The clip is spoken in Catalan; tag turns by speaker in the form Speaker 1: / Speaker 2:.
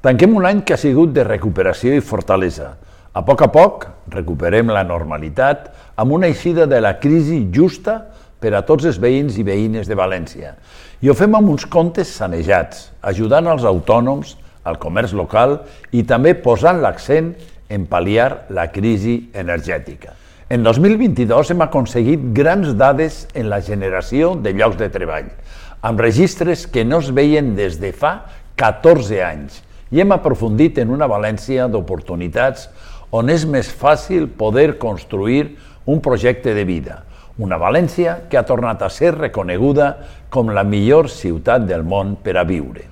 Speaker 1: Tanquem un any que ha sigut de recuperació i fortalesa. A poc recuperem la normalitat amb una eixida de la crisi justa per a tots els veïns i veïnes de València. I ho fem amb uns comptes sanejats, ajudant els autònoms, al comerç local i també posant l'accent en pal·liar la crisi energètica. En 2022 hem aconseguit grans dades en la generació de llocs de treball, amb registres que no es veien des de fa 14 anys, i hem aprofundit en una València d'oportunitats on és més fàcil poder construir un projecte de vida, una València que ha tornat a ser reconeguda com la millor ciutat del món per a viure.